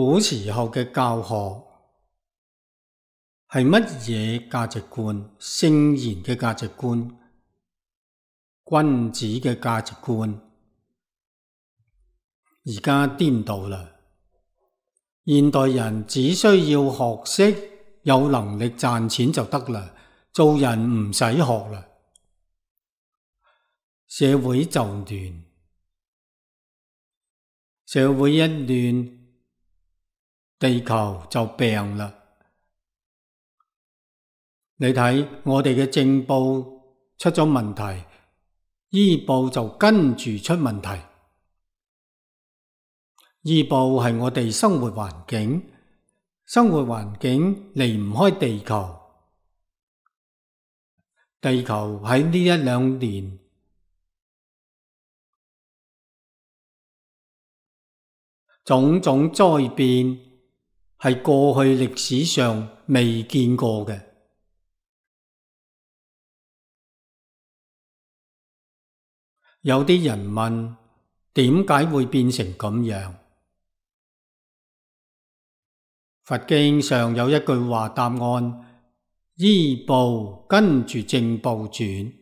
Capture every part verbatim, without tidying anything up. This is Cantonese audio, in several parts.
古時候嘅教學係乜嘢價值觀？聖賢嘅價值觀，君子嘅價值觀，而家顛倒啦。現代人只需要學識，有能力賺錢就得啦，做人唔使學啦。社會就亂，社會一亂，地球就病啦。你睇我哋嘅政報出咗問題，醫報就跟住出問題。醫報係我哋生活環境，生活環境離唔開地球。地球喺呢一兩年種種災變，係過去歷史上未見過嘅。有啲人問，點解會變成咁樣？佛經上有一句話答案：醫報跟住正報轉。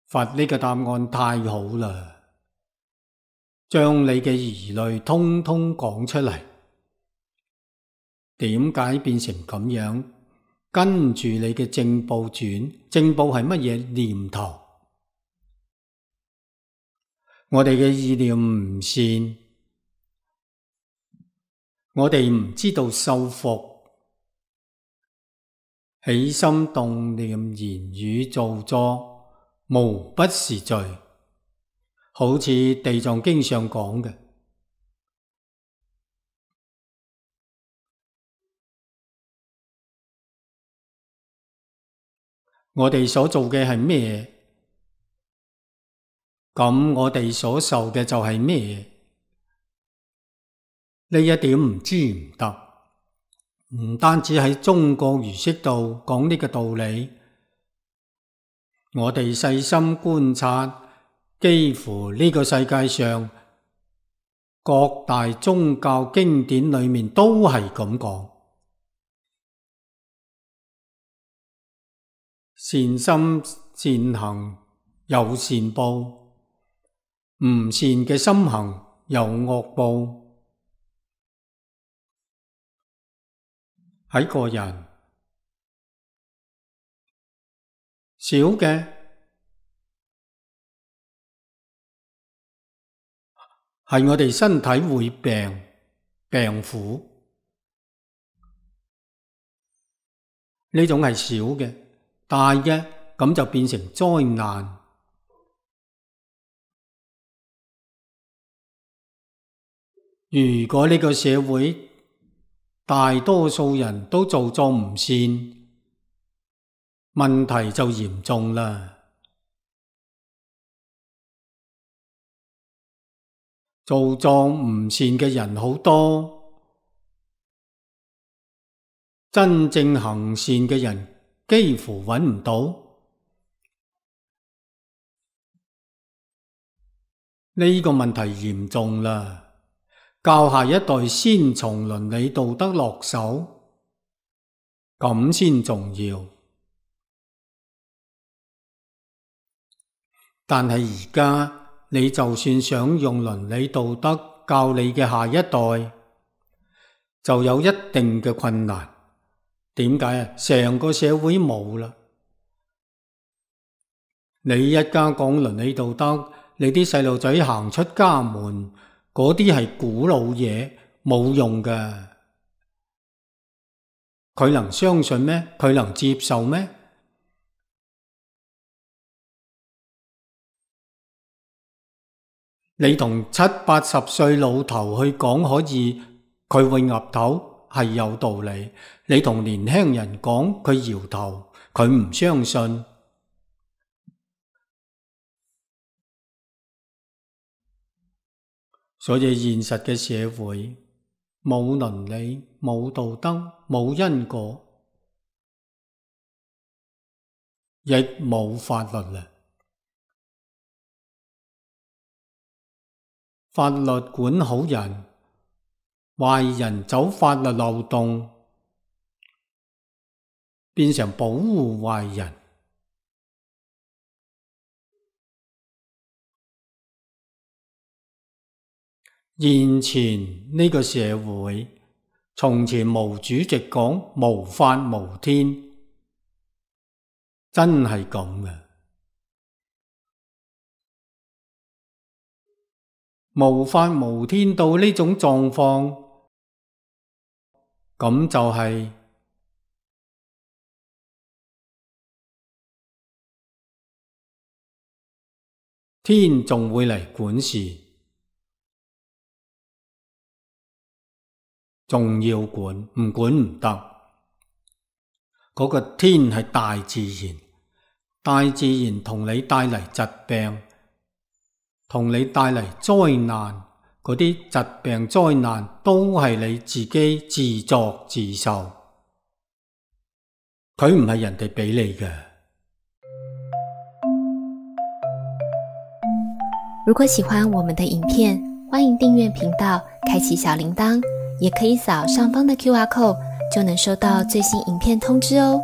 佛呢個答案太好啦，將你嘅疑慮通通講出嚟。點解變成咁樣？跟住你嘅正報轉，正報係乜嘢？念頭。我哋嘅意念唔善，我哋唔知道修復，起心動念、言語造作，無不是罪。好似地藏經上講嘅，我哋所做嘅係咩？咁我哋所受嘅就係咩？呢一點唔知唔得。唔單止喺中國儒釋道講呢個道理，我哋細心觀察，幾乎呢個世界上各大宗教經典裏面都係咁講。善心善行有善報，唔善嘅心行有惡報。喺個人少嘅係我哋身體會病病苦，呢種係少嘅。大嘅咁就變成災難。如果呢個社會大多數人都做作唔善，問題就嚴重啦。做作唔善嘅人好多，真正行善嘅人幾乎揾唔到。呢個問題嚴重啦。教下一代先從倫理道德落手，咁先重要。但係而家你就算想用倫理道德教你嘅下一代，就有一定嘅困難。點解啊？成個社會冇啦。你一家講倫理道德，你啲細路仔行出家門，嗰啲係古老嘢，冇用㗎。佢能相信咩？佢能接受咩？你同七八十歲老頭去講可以，佢會岌頭，係有道理。你同年輕人講，佢搖頭，佢唔相信。所以現實嘅社會冇倫理、冇道德、冇因果，亦冇法律啦。法律管好人，壞人走法律漏洞，變成保護壞人。現前呢個社會，從前毛主席講無法無天，真係咁嘅。無法無天到呢種狀況，咁就係天仲會嚟管事，仲要管，唔管唔得。嗰個天係大自然，大自然同你帶嚟疾病，同你帶嚟災難，嗰啲疾病災難都係你自己自作自受，佢唔係人哋俾你嘅。如果喜歡我們的影片，歡迎訂閱頻道，開啟小鈴鐺，也可以掃上方的 Q R code，就能收到最新影片通知哦。